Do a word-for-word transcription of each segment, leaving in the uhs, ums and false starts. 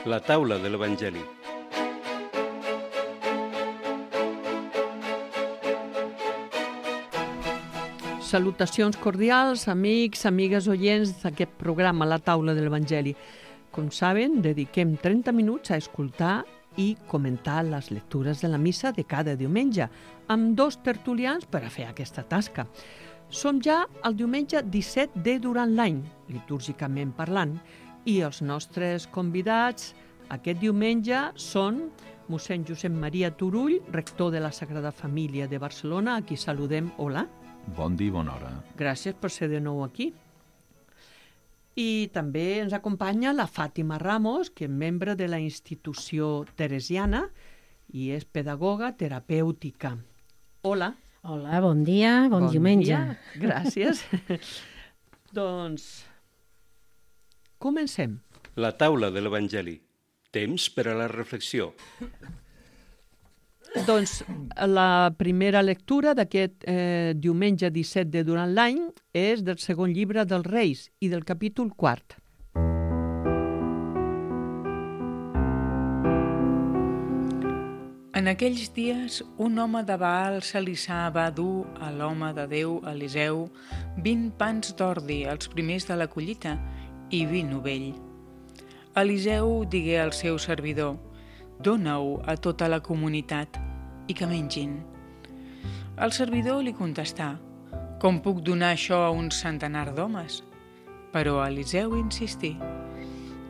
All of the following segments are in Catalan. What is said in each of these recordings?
La taula de l'Evangeli. Salutacions cordials, amics, amigues oients d'aquest programa La taula de l'Evangeli. Com saben, dediquem trenta minuts a escoltar i comentar les lectures de la missa de cada diumenge, amb dos tertulians per a fer aquesta tasca. Som ja al diumenge disset de durant l'any, litúrgicament parlant, i els nostres convidats aquest diumenge són mossèn Josep Maria Turull, rector de la Sagrada Família de Barcelona, a qui saludem. Hola. Bon dia i bona hora. Gràcies per ser de nou aquí. I també ens acompanya la Fàtima Ramos, que és membre de la institució teresiana i és pedagoga terapèutica. Hola. Hola, bon dia, bon, bon diumenge. Dia. Gràcies. Doncs comencem. La taula de l'Evangeli. Temps per a la reflexió. Doncs la primera lectura d'aquest eh, diumenge disset de durant l'any és del segon llibre dels Reis i del capítol quart. En aquells dies, un home de Baal Salissà va dur a l'home de Déu, Eliseu, vint pans d'ordi, els primers de la collita, i vi novell. Eliseu digué al seu servidor: «Dóna-ho a tota la comunitat i que mengin». El servidor li contestà: «Com puc donar això a un centenar d'homes?» Però Eliseu insistí: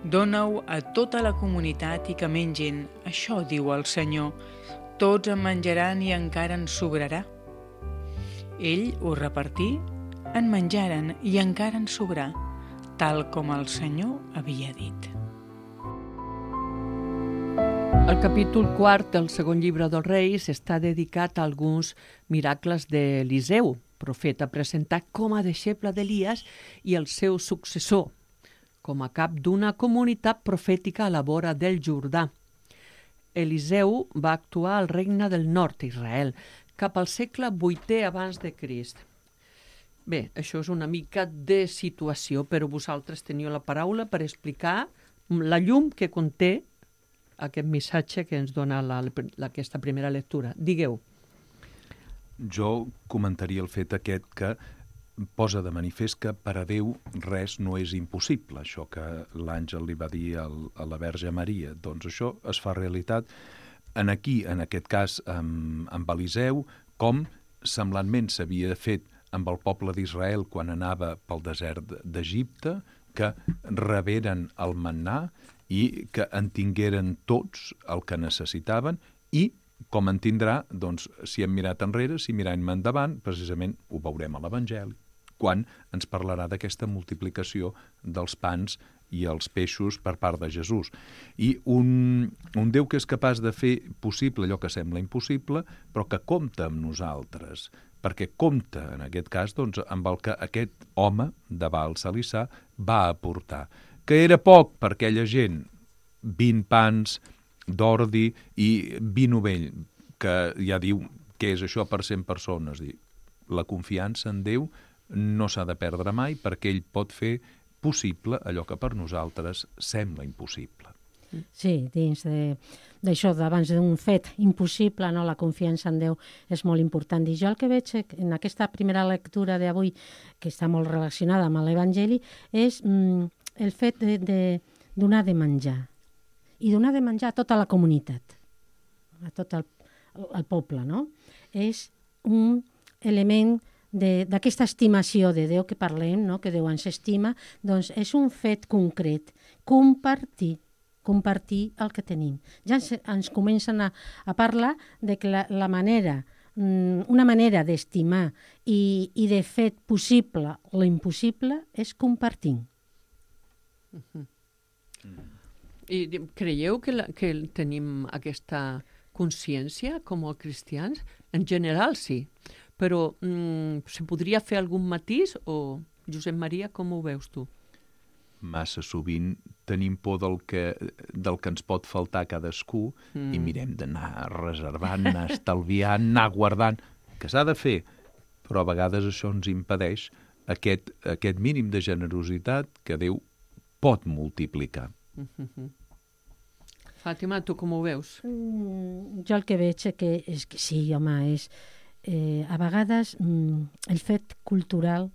«Dóna-ho a tota la comunitat i que mengin, això diu el Senyor, tots en menjaran i encara en sobrarà». Ell ho repartí, en menjaren i encara en sobrà, tal com el Senyor havia dit. El capítol quart del segon llibre dels Reis està dedicat a alguns miracles d'Eliseu, profeta presentat com a deixeble d'Elies i el seu successor, com a cap d'una comunitat profètica a la vora del Jordà. Eliseu va actuar al regne del nord d'Israel, cap al segle vuitè abans de Crist. Bé, això és una mica de situació, però vosaltres teniu la paraula per explicar la llum que conté aquest missatge que ens dona la, la, aquesta primera lectura. Digueu. Jo comentaria el fet aquest que posa de manifest que per a Déu res no és impossible. Això que l'àngel li va dir al, a la Verge Maria, doncs això es fa realitat en aquí, en aquest cas amb, amb Eliseu, com semblantment s'havia fet amb el poble d'Israel quan anava pel desert d'Egipte, que reberen el mannà i que en tingueren tots el que necessitaven i, com en tindrà, doncs, si hem mirat enrere, si mirem endavant, precisament ho veurem a l'Evangeli, quan ens parlarà d'aquesta multiplicació dels pans i els peixos per part de Jesús. I un, un Déu que és capaç de fer possible allò que sembla impossible, però que compta amb nosaltres, perquè compta, en aquest cas, doncs, amb el que aquest home de Baal Salissà va aportar, que era poc per aquella gent, vint pans d'ordi i vi novell, que ja diu què és això per cent persones. La confiança en Déu no s'ha de perdre mai perquè ell pot fer possible allò que per nosaltres sembla impossible. Sí, dins d'això, d'abans d'un fet impossible, no, la confiança en Déu és molt important. I jo el que veig en aquesta primera lectura d'avui, que està molt relacionada amb l'Evangeli, és mm, el fet de, de donar de menjar. I donar de menjar a tota la comunitat, a tot el, el poble, no? És un element d'aquesta estimació de Déu que parlem, no? Que Déu ens estima, doncs és un fet concret, compartir, compartir el que tenim. Ja ens, ens comencen a, a parlar de que la, la manera, una manera d'estimar i, i de fer possible l'impossible és compartir. Uh-huh. I creieu que, la, que tenim aquesta consciència com a cristians? En general sí, però mm, se podria fer algun matís o, Josep Maria, com ho veus tu? Massa sovint tenim por del que, del que ens pot faltar a cadascú mm. i mirem d'anar reservant, anar estalviant, anar guardant, que s'ha de fer, però a vegades això ens impedeix aquest, aquest mínim de generositat que Déu pot multiplicar. Mm-hmm. Fàtima, tu com ho veus? Mm, jo el que veig és que, és que sí, home, és... Eh, a vegades mm, el fet cultural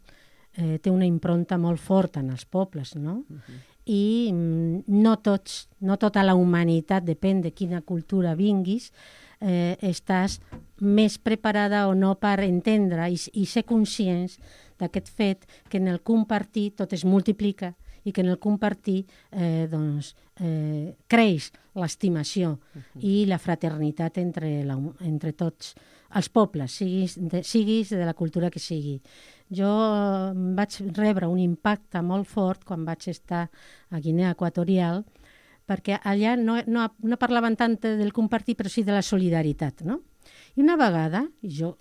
eh, té una impronta molt forta en els pobles, no? Uh-huh. I mm, no tots, no tota la humanitat, depèn de quina cultura vinguis, eh, estàs més preparada o no per entendre i, i ser conscients d'aquest fet que en el compartir tot es multiplica i que en el compartir eh, doncs, eh, creix l'estimació uh-huh. i la fraternitat entre, la, entre tots els pobles, siguis de, siguis de la cultura que sigui. Jo vaig rebre un impacte molt fort quan vaig estar a Guinea Equatorial, perquè allà no, no, no parlaven tant del compartir, però sí de la solidaritat, no? I una vegada, jo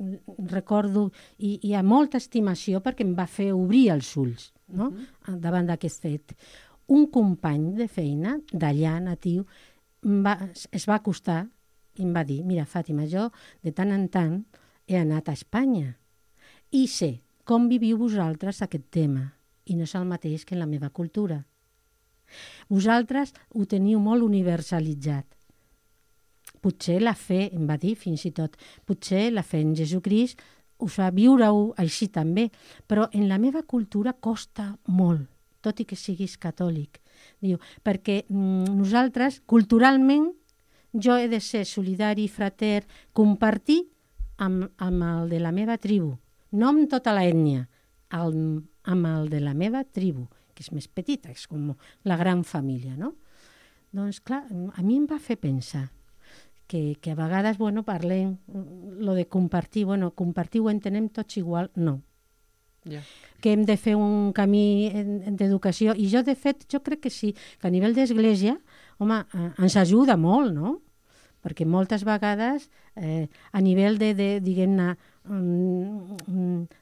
recordo, i hi ha molta estimació perquè em va fer obrir els ulls, no? Uh-huh. Davant d'aquest fet. Un company de feina d'allà, natiu, va, es va acostar i em va dir, mira, Fàtima, jo de tant en tant he anat a Espanya i sé com viviu vosaltres aquest tema i no és el mateix que en la meva cultura. Vosaltres ho teniu molt universalitzat. Potser la fe, em va dir fins i tot, potser la fe en Jesucrist us fa viure-ho així també, però en la meva cultura costa molt, tot i que siguis catòlic. Diu, perquè mm, nosaltres, culturalment, jo he de ser solidari, frater, compartir amb, amb el de la meva tribu, no amb tota l'ètnia, amb el de la meva tribu, que és més petita, és com la gran família, no? Doncs clar, a mi em va fer pensar que, que a vegades, bueno, parlem lo de compartir, bueno, compartir ho entenem tots igual, no. Yeah. Que hem de fer un camí d'educació, i jo, de fet, jo crec que sí, que a nivell d'església, home, ens ajuda molt, no? Perquè moltes vegades, eh, a nivell de, de diguem-ne,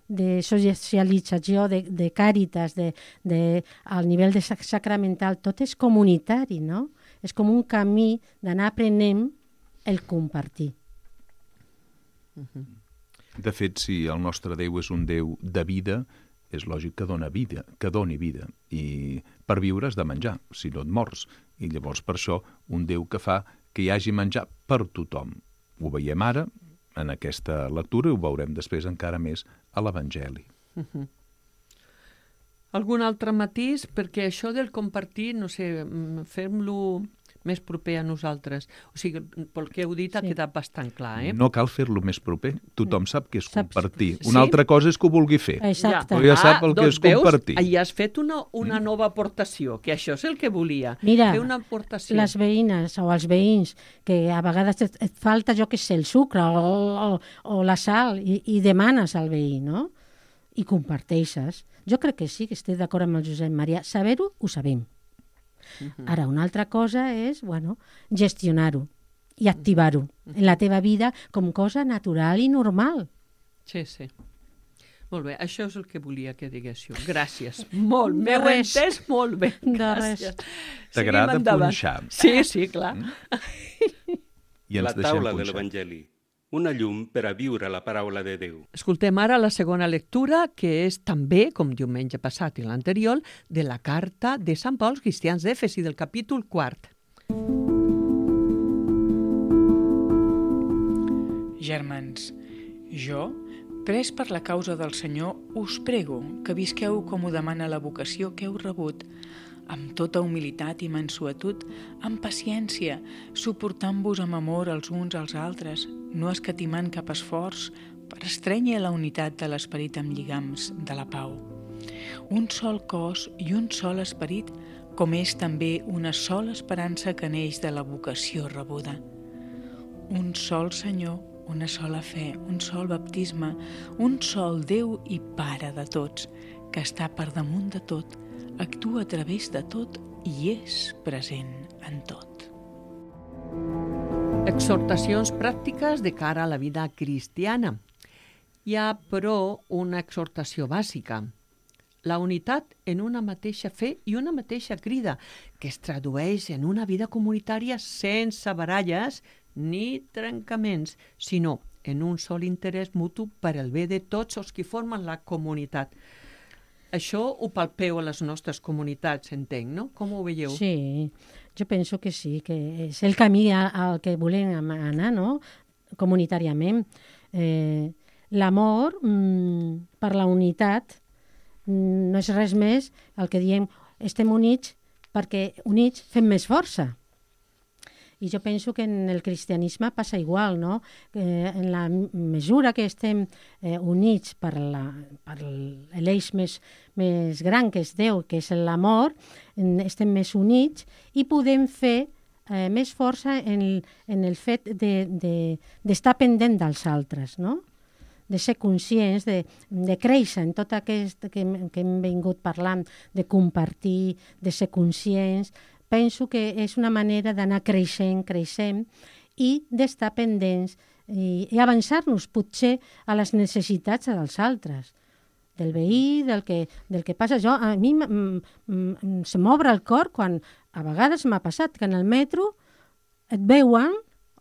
de socialització, de, de càritas, de, de, al nivell de sacramental, tot és comunitari, no? És com un camí d'anar aprenent el compartir. Uh-huh. De fet, si el nostre Déu és un Déu de vida, és lògic que dona vida, que doni vida. I per viure has de menjar, si no et mors. I llavors, per això, un Déu que fa que hi hagi menjar per tothom. Ho veiem ara, en aquesta lectura, i ho veurem després encara més a l'Evangeli. Uh-huh. Algun altre matís? Perquè això del compartir, no sé, fem-lo més proper a nosaltres. O sigui, pel que heu dit sí. Ha quedat bastant clar, eh? No cal fer-lo més proper. Tothom sap que és Saps? compartir. Una sí? altra cosa és que ho vulgui fer. Exacte. Però ja sap el ah, que és compartir. Veus, hi has fet una, una nova aportació, que això és el que volia. Mira, fer una aportació. Les veïnes o els veïns, que a vegades et, et falta, jo què sé, el sucre o, o, o la sal, i, i demanes al veí, no? I comparteixes. Jo crec que sí, que estic d'acord amb el Josep Maria. Saber-ho, ho sabem. Uh-huh. Ara, una altra cosa és, bueno, gestionar-ho i activar-ho uh-huh. en la teva vida com cosa natural i normal. Sí, sí. Molt bé, això és el que volia que diguéssiu. Gràcies. Molt, m'he entès molt bé. Gràcies. T'agrada punxar. Sí, sí, clar. Mm. I la taula de l'Evangeli. Una llum per a viure la paraula de Déu. Escoltem ara la segona lectura, que és també, com diumenge passat i l'anterior, de la carta de Sant Pau als cristians d'Èfesi, del capítol quart. Germans, jo, pres per la causa del Senyor, us prego que visqueu com ho demana la vocació que heu rebut, amb tota humilitat i mansuetud, amb paciència, suportant-vos amb amor els uns als altres, no escatimant cap esforç per estrènyer la unitat de l'esperit amb lligams de la pau. Un sol cos i un sol esperit, com és també una sola esperança que neix de la vocació rebuda. Un sol Senyor, una sola fe, un sol baptisme, un sol Déu i Pare de tots, que està per damunt de tot, actua a través de tot i és present en tot. Exhortacions pràctiques de cara a la vida cristiana. Hi ha, però, una exhortació bàsica. La unitat en una mateixa fe i una mateixa crida, que es tradueix en una vida comunitària sense baralles ni trencaments, sinó en un sol interès mutu per al bé de tots els que formen la comunitat. això ho palpeu a les nostres comunitats, entenc, no? Com ho veieu? Sí, jo penso que sí, que és el camí al que volem anar, no?, comunitàriament. Eh, L'amor mm, per la unitat mm, no és res més el que diem estem units perquè units fem més força. I jo penso que en el cristianisme passa igual, no? Eh, en la mesura que estem eh, units per, la, per l'eix més, més gran que és Déu, que és l'amor, estem més units i podem fer eh, més força en, en el fet de, de, d'estar pendent dels altres, no? De ser conscients, de, de créixer en tot aquest que, que hem vingut parlant, de compartir, de ser conscients. Penso que és una manera d'anar creixent, creixent i d'estar pendents i, i avançar-nos potser a les necessitats dels altres, del veí, del que, del que passa. Jo, a mi m, m, se m'obre el cor quan a vegades m'ha passat que en el metro et veuen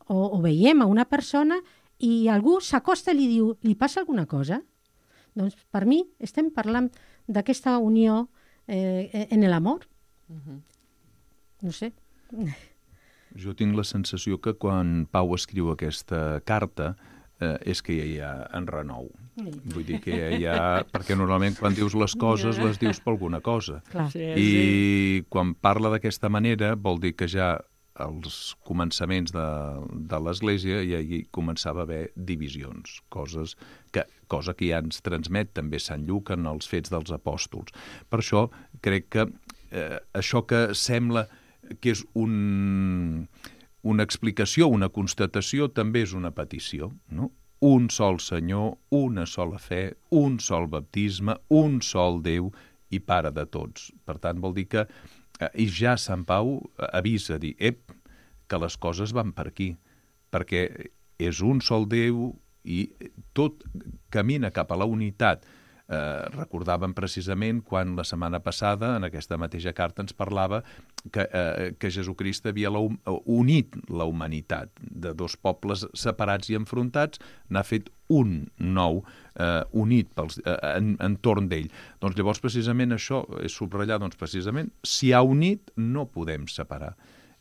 o, o veiem a una persona i algú s'acosta i li diu, li passa alguna cosa? Doncs per mi estem parlant d'aquesta unió eh, en l'amor. Uh-huh. No sé. Jo tinc la sensació que quan Pau escriu aquesta carta eh, és que ja hi ha en renou. Mm. Vull dir que ja hi ha... Perquè normalment quan dius les coses les dius per alguna cosa. Clar. Sí, I sí. quan parla d'aquesta manera vol dir que ja als començaments de, de l'Església ja hi començava a haver divisions, coses que, cosa que ja ens transmet també Sant Lluc en els Fets dels Apòstols. Per això crec que eh, això que sembla que és un, una explicació, una constatació, també és una petició, no? Un sol Senyor, una sola fe, un sol baptisme, un sol Déu i Pare de tots. Per tant, vol dir que eh, i ja Sant Pau avisa, dir, ep, que les coses van per aquí, perquè és un sol Déu i tot camina cap a la unitat. Eh, recordàvem precisament quan la setmana passada en aquesta mateixa carta ens parlava que, eh, que Jesucrist havia la, unit la humanitat de dos pobles separats i enfrontats, n'ha fet un nou eh, unit pels, eh, en, entorn d'ell. Doncs llavors precisament això és subratllar, doncs precisament si ha unit no podem separar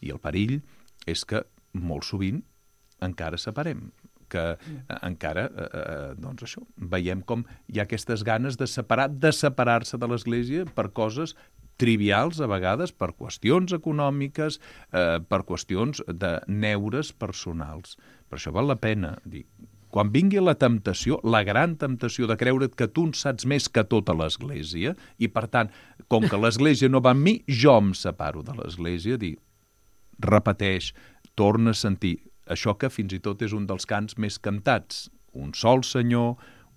i el perill és que molt sovint encara separem, que eh, encara, eh, doncs això, veiem com hi ha aquestes ganes de separar, de separar-se de l'Església per coses trivials a vegades, per qüestions econòmiques, eh, per qüestions de neures personals. Per això val la pena dir, quan vingui la temptació, la gran temptació de creure't que tu en saps més que tota l'Església, i per tant, com que l'Església no va amb mi, jo em separo de l'Església, dir, repeteix, torna a sentir, això que fins i tot és un dels cants més cantats. Un sol Senyor,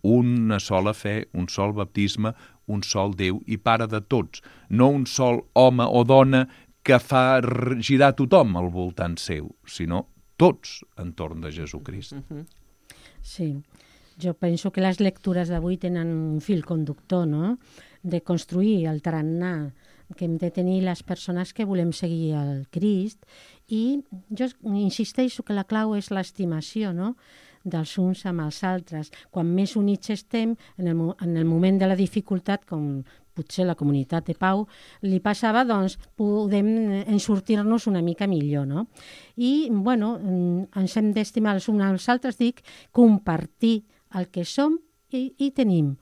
una sola fe, un sol baptisme, un sol Déu i Pare de tots. No un sol home o dona que fa girar tothom al voltant seu, sinó tots entorn de Jesucrist. Sí, jo penso que les lectures d'avui tenen un fil conductor, no?, de construir el tarannà que hem de tenir les persones que volem seguir el Crist, i jo insisteixo que la clau és l'estimació, no?, dels uns amb els altres. Quan més units estem, en el, en el moment de la dificultat, com potser la comunitat de Pau li passava, doncs podem ensortir-nos una mica millor, no? I, bueno, ens hem d'estimar els uns als altres, dic, compartir el que som i, i tenim.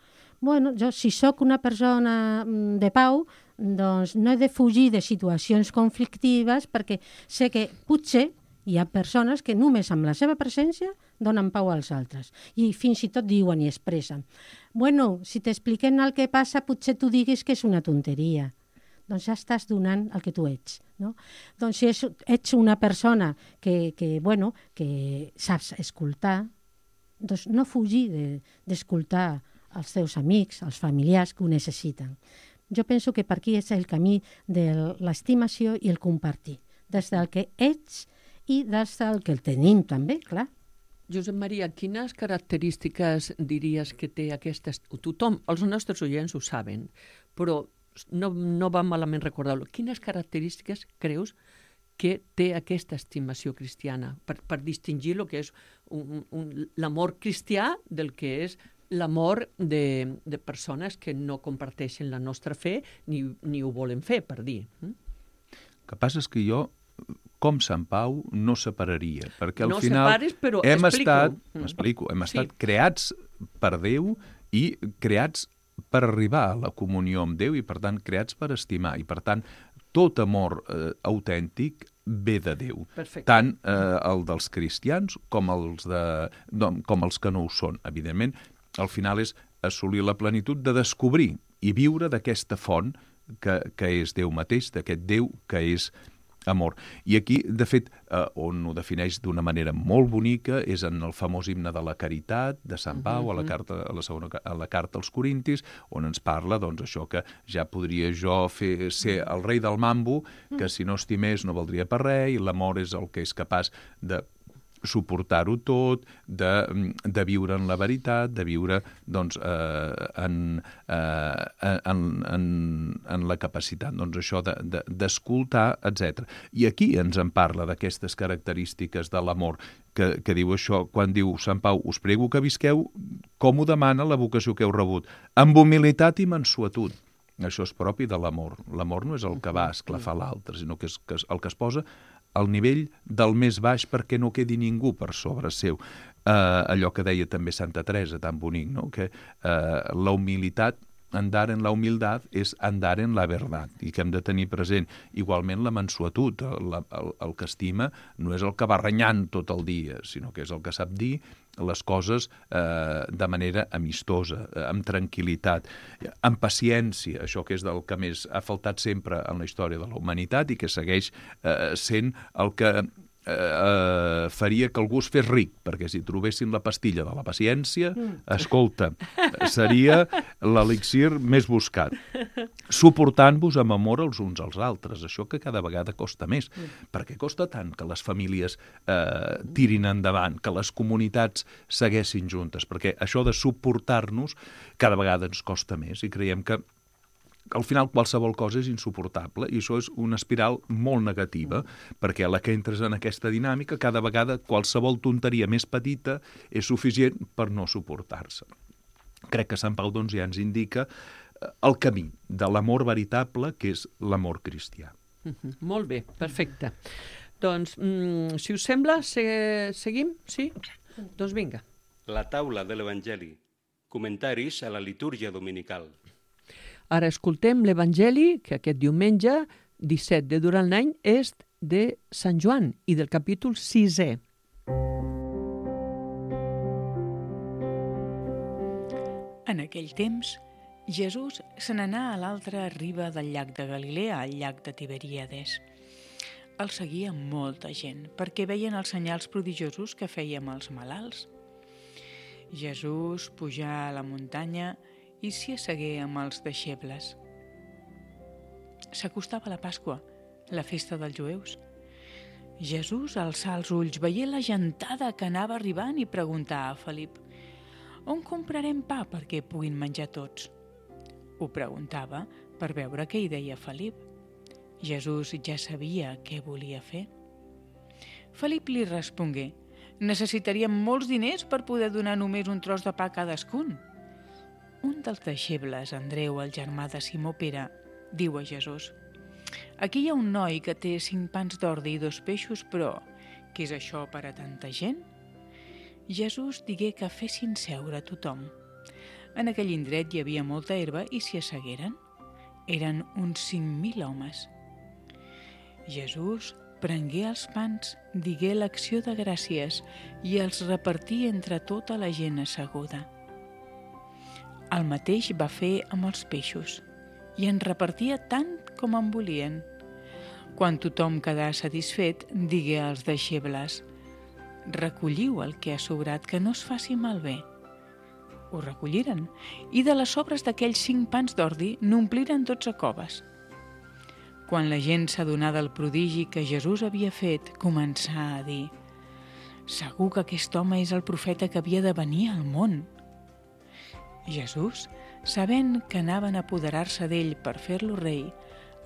Bueno, jo, si sóc una persona de pau, doncs no he de fugir de situacions conflictives perquè sé que potser hi ha persones que només amb la seva presència donen pau als altres i fins i tot diuen i expressen. Bueno, si t'expliquen el que passa potser tu diguis que és una tonteria. Doncs ja estàs donant el que tu ets, no? Doncs si ets una persona que, que, bueno, que saps escoltar, doncs no fugir de, d'escoltar els teus amics, els familiars que ho necessiten. Jo penso que per aquí és el camí de l'estimació i el compartir, des del que ets i des del que el tenim també, clar. Josep Maria, quines característiques diries que té aquesta... Tothom, els nostres oients ho saben, però no, no va malament recordar-ho. Quines característiques creus que té aquesta estimació cristiana per, per distingir el que és un, un, l'amor cristià del que és l'amor de, de persones que no comparteixen la nostra fe ni, ni ho volen fer, per dir. El que passa és que jo, com Sant Pau, no separaria, perquè al no final separis, però hem explico. estat, m'explico, hem estat Sí. creats per Déu i creats per arribar a la comunió amb Déu i, per tant, creats per estimar. I, per tant, tot amor eh, autèntic ve de Déu. Perfecte. Tant eh, el dels cristians com els, de, no, com els que no ho són. Evidentment, al final és assolir la plenitud de descobrir i viure d'aquesta font que, que és Déu mateix, d'aquest Déu que és amor. I aquí, de fet, eh, on ho defineix d'una manera molt bonica és en el famós himne de la caritat de Sant Pau, a la carta, a la segona, a la carta als Corintis, on ens parla, doncs, això que ja podria jo fer, ser el rei del mambo, que si no estimés no valdria per res, i l'amor és el que és capaç de suportar-ho tot, de, de viure en la veritat, de viure doncs, eh, en, eh, en, en, en la capacitat doncs, això de, de, d'escoltar, etcètera. I aquí ens en parla d'aquestes característiques de l'amor, que, que diu això, quan diu Sant Pau, us prego que visqueu com ho demana la vocació que heu rebut, amb humilitat i mansuetud. Això és propi de l'amor. L'amor no és el que va esclafar l'altre, sinó que és, que és el que es posa al nivell del més baix perquè no quedi ningú per sobre seu. Eh, allò que deia també Santa Teresa, tan bonic, no? Que eh, la humilitat, andar en la humildad és andar en la verdad, i que hem de tenir present. Igualment la mansuetud, el, el, el que estima no és el que va renyant tot el dia, sinó que és el que sap dir les coses eh, de manera amistosa, eh, amb tranquil·litat, amb paciència, això que és del que més ha faltat sempre en la història de la humanitat i que segueix eh, sent el que eh, eh, faria que algú es fes ric, perquè si trobessin la pastilla de la paciència, escolta, seria l'elixir més buscat. Suportant-vos amb amor els uns als altres, això que cada vegada costa més. Perquè costa tant que les famílies eh, tirin endavant, que les comunitats segueixin juntes, perquè això de suportar-nos cada vegada ens costa més i creiem que al final qualsevol cosa és insuportable i això és una espiral molt negativa perquè a la que entres en aquesta dinàmica cada vegada qualsevol tonteria més petita és suficient per no suportar-se. Crec que Sant Pau doncs, ja ens indica el camí de l'amor veritable que és l'amor cristià. Uh-huh. Molt bé, perfecte. Doncs, mm, si us sembla, se seguim? Sí? Doncs vinga. La taula de l'Evangeli. Comentaris a la litúrgia dominical. Ara escoltem l'Evangeli, que aquest diumenge, disset de durant l'any, és de Sant Joan i del capítol sisè. En aquell temps, Jesús se n'anà a l'altra riba del llac de Galilea, al llac de Tiberíades. El seguia molta gent, perquè veien els senyals prodigiosos que feia amb els malalts. Jesús pujà a la muntanya i s'hi assegué amb els deixebles. S'acostava la Pasqua, la festa dels jueus. Jesús alçà els ulls, veient la gentada que anava arribant i preguntà a Felip: «On comprarem pa perquè puguin menjar tots?» Ho preguntava per veure què hi deia Felip. Jesús ja sabia què volia fer. Felip li respongué: «Necessitaríem molts diners per poder donar només un tros de pa a cadascun». Un dels deixebles, Andreu, el germà de Simó Pere, diu a Jesús: «Aquí hi ha un noi que té cinc pans d'ordi i dos peixos, però què és això per a tanta gent?» Jesús digué que fessin seure a tothom. En aquell indret hi havia molta herba i s'hi assegueren. Eren uns cinc mil homes. Jesús prengué els pans, digué l'acció de gràcies i els repartí entre tota la gent asseguda. El mateix va fer amb els peixos i en repartia tant com en volien. Quan tothom quedà satisfet, digué als deixebles: «Recolliu el que ha sobrat, que no es faci malbé». Ho recolliren i de les sobres d'aquells cinc pans d'ordi n'ompliren dotze coves. Quan la gent s'adonà del prodigi que Jesús havia fet, començà a dir: «Segur que aquest home és el profeta que havia de venir al món». Jesús, sabent que anaven a apoderar-se d'ell per fer-lo rei,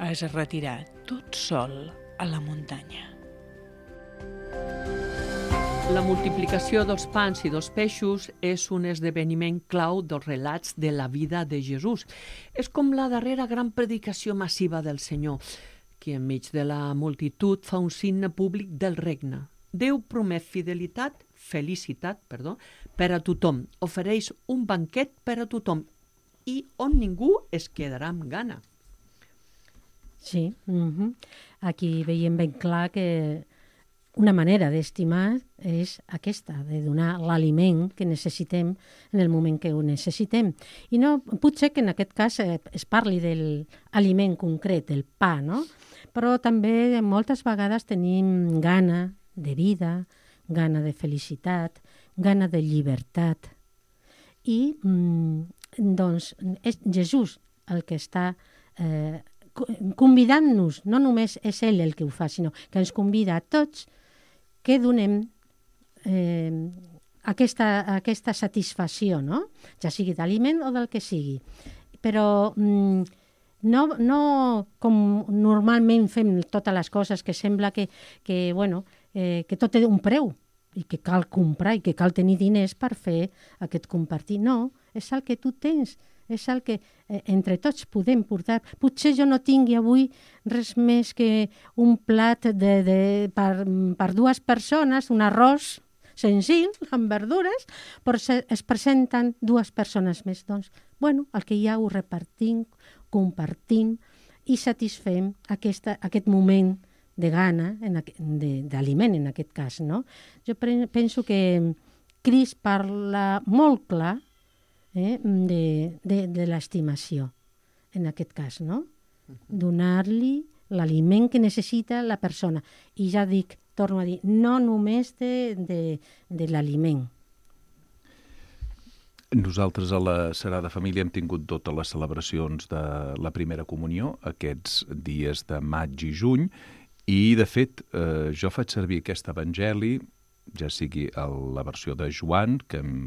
es retirà tot sol a la muntanya. La multiplicació dels pans i dels peixos és un esdeveniment clau dels relats de la vida de Jesús. És com la darrera gran predicació massiva del Senyor, que enmig de la multitud fa un signe públic del regne. Déu promet fidelitat, felicitat, perdó, per a tothom. Ofereix un banquet per a tothom i on ningú es quedarà amb gana. Sí, uh-huh. Aquí veiem ben clar que una manera d'estimar és aquesta, de donar l'aliment que necessitem en el moment que ho necessitem. I no, potser que en aquest cas eh, es parli de l'aliment concret, el pa, no? Però també moltes vegades tenim gana de vida, gana de felicitat, gana de llibertat. I mm, doncs és Jesús el que està eh, convidant-nos, no només és ell el que ho fa, sinó que ens convida a tots que donem eh, aquesta, aquesta satisfacció, no? Ja sigui d'aliment o del que sigui. Però mm, no, no com normalment fem totes les coses, que sembla que, que, bueno, eh, que tot té un preu i que cal comprar i que cal tenir diners per fer aquest compartir. No, és el que tu tens, és el que eh, entre tots podem portar. Potser jo no tingui avui res més que un plat de, de, per, per dues persones, un arròs senzill, amb verdures, però se, es presenten dues persones més. Doncs, bueno, el que hi ha ho repartim, compartim i satisfem aquesta, aquest moment de gana, d'aliment en aquest cas, no? Jo penso que Crist parla molt clar eh, de, de, de l'estimació, en aquest cas, no? Donar-li l'aliment que necessita la persona. I ja dic, torno a dir, no només de, de, de l'aliment. Nosaltres a la Sagrada Família hem tingut totes les celebracions de la primera comunió, aquests dies de maig i juny, i, de fet, eh, jo faig servir aquest evangeli, ja sigui la versió de Joan, que hem,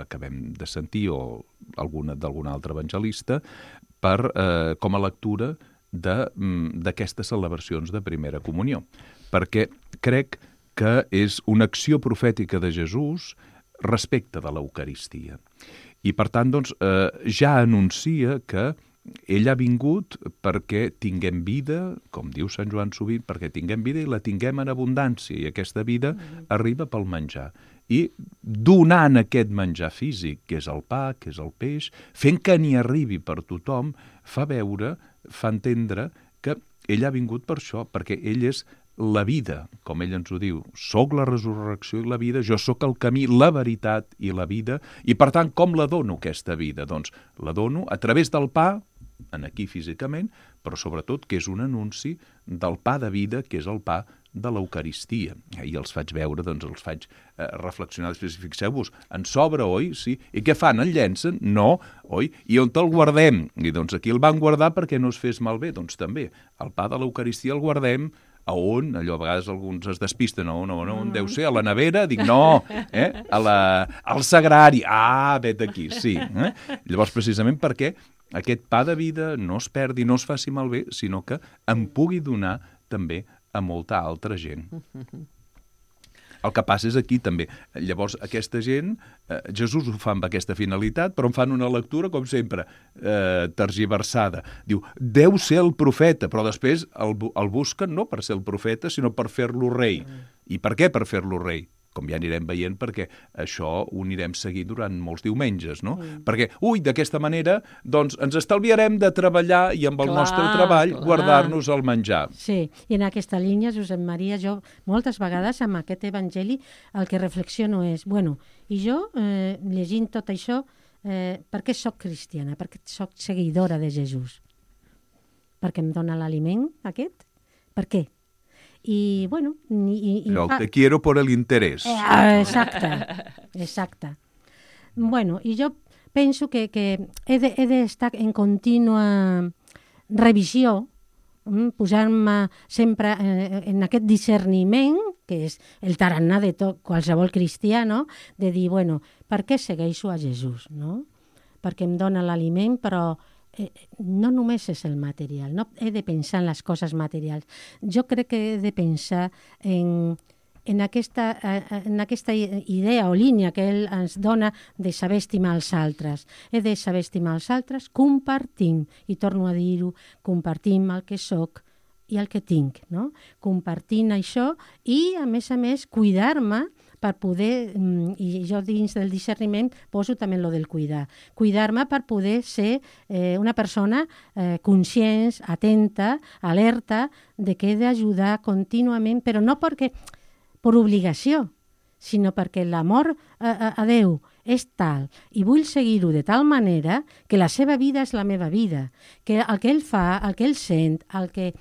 acabem de sentir, o alguna d'algun altre evangelista, per, eh, com a lectura d'aquestes celebracions de primera comunió. Perquè crec que és una acció profètica de Jesús respecte de l'Eucaristia. I, per tant, doncs, eh, ja anuncia que ell ha vingut perquè tinguem vida, com diu Sant Joan sovint, perquè tinguem vida i la tinguem en abundància, i aquesta vida mm-hmm. arriba pel menjar. I donant aquest menjar físic, que és el pa, que és el peix, fent que n'hi arribi per tothom, fa veure, fa entendre que ell ha vingut per això, perquè ell és la vida, com ell ens ho diu. Soc la resurrecció i la vida, jo sóc el camí, la veritat i la vida, i per tant, com la dono aquesta vida? Doncs la dono a través del pa, en aquí físicament, però sobretot que és un anunci del pa de vida, que és el pa de l'Eucaristia. I els faig veure, doncs els faig eh, reflexionar, després fixeu-vos, en sobra, oi? Sí. I què fan? En llencen? No, oi? I on te'l guardem? I doncs aquí el van guardar perquè no es fes malbé. Doncs també, el pa de l'Eucaristia el guardem a on? Allò a vegades alguns es despisten, no, no, no, on deu ser? A la nevera? Dic, no, eh? a la, al sagrari. Ah, vet aquí, sí. Eh? Llavors, precisament perquè aquest pa de vida no es perdi, no es faci malbé, sinó que em pugui donar també a molta altra gent. El que passa és aquí també. Llavors, aquesta gent, eh, Jesús ho fa amb aquesta finalitat, però en fan una lectura, com sempre, eh, tergiversada. Diu, deu ser el profeta, però després el, el busquen no per ser el profeta, sinó per fer-lo rei. I per què per fer-lo rei? Com ja anirem veient, perquè això ho anirem seguint durant molts diumenges, no? Mm. Perquè, ui, d'aquesta manera, doncs, ens estalviarem de treballar i amb el clar, nostre treball clar. guardar-nos el menjar. Sí, i en aquesta línia, Josep Maria, jo moltes vegades amb aquest evangeli el que reflexiono és, bueno, i jo, eh, llegint tot això, eh, per què soc cristiana? Per què soc seguidora de Jesús? Perquè em dona l'aliment aquest? Per què? I, bueno... I, i Però fa... te quiero por el interés. Eh, exacte, exacte. Bueno, i jo penso que, que he d'estar de, en contínua revisió, posar-me sempre en, en aquest discerniment, que és el tarannà de tot, qualsevol cristià, no? De dir, bueno, per què segueixo a Jesús, no? Perquè em dona l'aliment, però eh, no només és el material, no he de pensar en les coses materials. Jo crec que he de pensar en en aquesta, en aquesta idea o línia que ell ens dona de saber estimar els altres. He de saber estimar els altres compartint, i torno a dir-ho, compartim el que soc i el que tinc, no? Compartint això i, a més a més, cuidar-me per poder, i jo dins del discerniment poso també lo del cuidar, cuidar-me per poder ser eh, una persona eh, conscient, atenta, alerta, de que he d'ajudar contínuament, però no perquè per obligació, sinó perquè l'amor a, a, a Déu és tal, i vull seguir-ho de tal manera que la seva vida és la meva vida, que el que ell fa, el que ell sent, el que...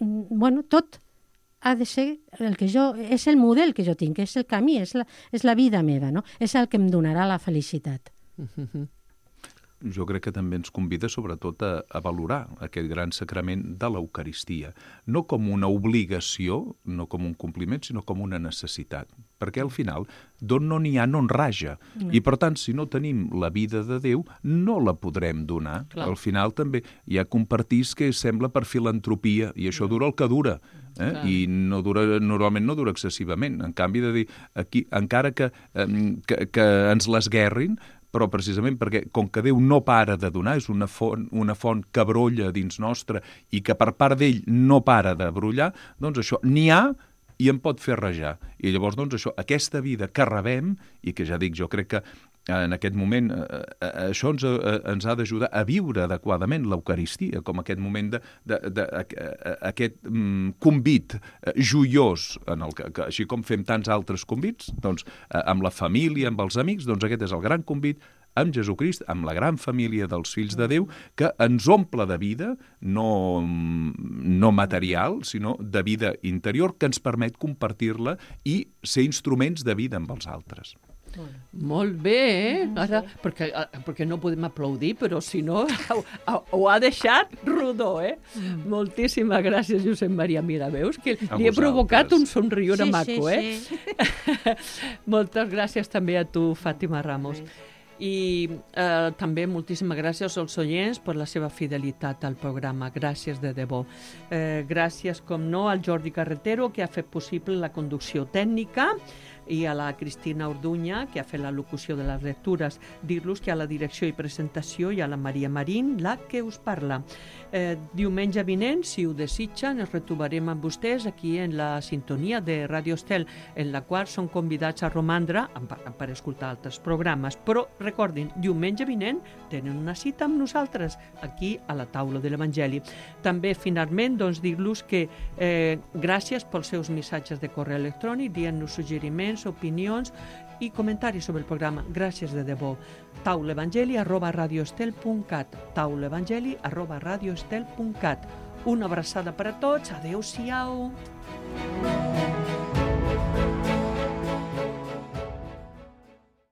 Bueno, tot ha de ser el que jo... És el model que jo tinc, és el camí, és la, és la vida meva, no? És el que em donarà la felicitat. Mm-hmm. Jo crec que també ens convida sobretot a, a valorar aquest gran sacrament de l'Eucaristia, no com una obligació, no com un compliment, sinó com una necessitat, perquè al final d'on no n'hi ha no en raja, mm. i per tant si no tenim la vida de Déu no la podrem donar. Clar. Al final també hi ha compartís que sembla per filantropia i això dura el que dura, eh? I no dura, normalment no dura excessivament, en canvi de dir, aquí, encara que, eh, que, que ens l'esguerrin, però precisament perquè, com que Déu no para de donar, és una font, una font que brolla dins nostre i que per part d'ell no para de brollar, doncs això n'hi ha i em pot fer rajar. I llavors, doncs, això, aquesta vida que rebem, i que ja dic, jo crec que en aquest moment eh, eh, això ens, eh, ens ha d'ajudar a viure adequadament l'Eucaristia, com aquest moment de, de, de, de aquest mm, convit eh, joiós, en el que, que, així com fem tants altres convits, doncs, eh, amb la família, amb els amics, doncs aquest és el gran convit amb Jesucrist, amb la gran família dels fills de Déu, que ens omple de vida, no, no material, sinó de vida interior, que ens permet compartir-la i ser instruments de vida amb els altres. Molt bé, eh? Ara, perquè, perquè no podem aplaudir, però si no, ho, ho ha deixat rodó, eh? Mm. Moltíssimes gràcies, Josep Maria. Mira, veus que li he provocat un somriure sí, maco, sí, eh? Sí. Moltes gràcies també a tu, Fàtima Ramos. I eh, també moltíssimes gràcies als oients per la seva fidelitat al programa. Gràcies de debò. Eh, gràcies, com no, al Jordi Carretero, que ha fet possible la conducció tècnica, i a la Cristina Orduña, que ha fet la locució de les lectures. Dir-los que a la direcció i presentació hi ha la Maria Marín, la que us parla. Eh, diumenge vinent, si ho desitgen, ens retrobarem amb vostès aquí en la sintonia de Ràdio Estel, en la qual són convidats a romandre per escoltar altres programes. Però recordin, diumenge vinent tenen una cita amb nosaltres aquí a la taula de l'Evangeli. També, finalment, doncs, dir-los que eh, gràcies pels seus missatges de correu electrònic, dient-nos suggeriments, opinions i comentaris sobre el programa. Gràcies de debò. taulevangeli arroba radioestel punt cat taulevangeli arroba radioestel punt cat. Una abraçada per a tots. Adéu-siau.